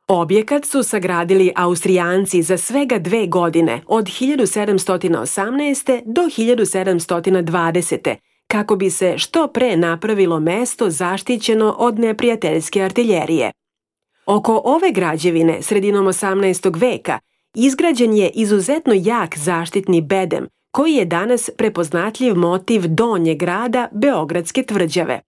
Objekat su sagradili Austrijanci za svega 2 godine, od 1718. do 1720. kako bi se što pre napravilo mesto zaštićeno od neprijateljske artiljerije. Oko ove građevine, sredinom 18. veka, izgrađen je izuzetno jak zaštitni bedem, koji je danas prepoznatljiv motiv donjeg grada Beogradske tvrđave.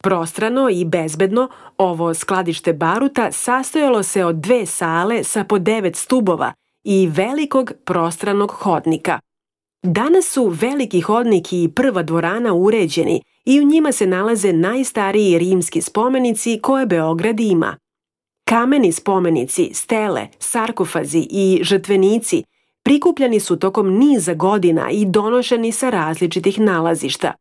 Prostrano i bezbedno, ovo skladište baruta sastojalo se od 2 sale sa po 9 stubova i velikog prostranog hodnika. Danas su veliki hodnik i prva dvorana uređeni i u njima se nalaze najstariji rimski spomenici koje Beograd ima. Kameni spomenici, stele, sarkofazi i žrtvenici prikupljani su tokom niza godina i donošeni sa različitih nalazišta.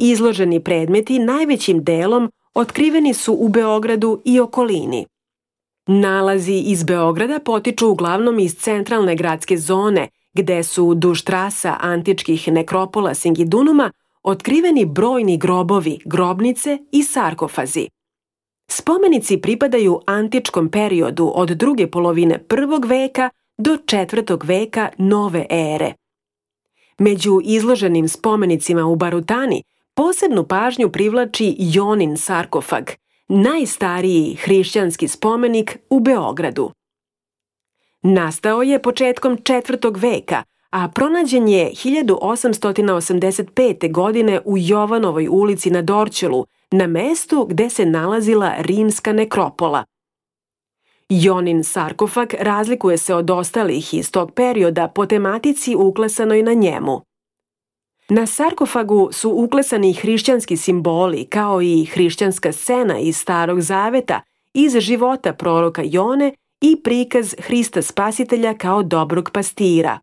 Izloženi predmeti najvećim delom otkriveni su u Beogradu i okolini. Nalazi iz Beograda potiču uglavnom iz centralne gradske zone, gde su duž trasa antičkih nekropola Singidunuma otkriveni brojni grobovi, grobnice i sarkofazi. Spomenici pripadaju antičkom periodu od druge polovine 1. veka do 4. veka nove ere. Među izloženim spomenicima u Barutani posebnu pažnju privlači Jonin sarkofag, najstariji hrišćanski spomenik u Beogradu. Nastao je početkom 4. veka, a pronađen je 1885. godine u Jovanovoj ulici na Dorćolu, na mestu gde se nalazila rimska nekropola. Jonin sarkofag razlikuje se od ostalih iz tog perioda po tematici uklesanoj na njemu. Na sarkofagu su uklesani hrišćanski simboli kao i hrišćanska scena iz Starog zaveta iz života proroka Jone i prikaz Hrista Spasitelja kao dobrog pastira.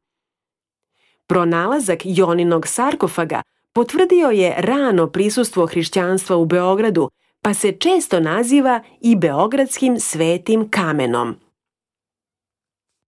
Pronalazak Joninog sarkofaga potvrdio je rano prisustvo hrišćanstva u Beogradu, pa se često naziva i Beogradskim svetim kamenom.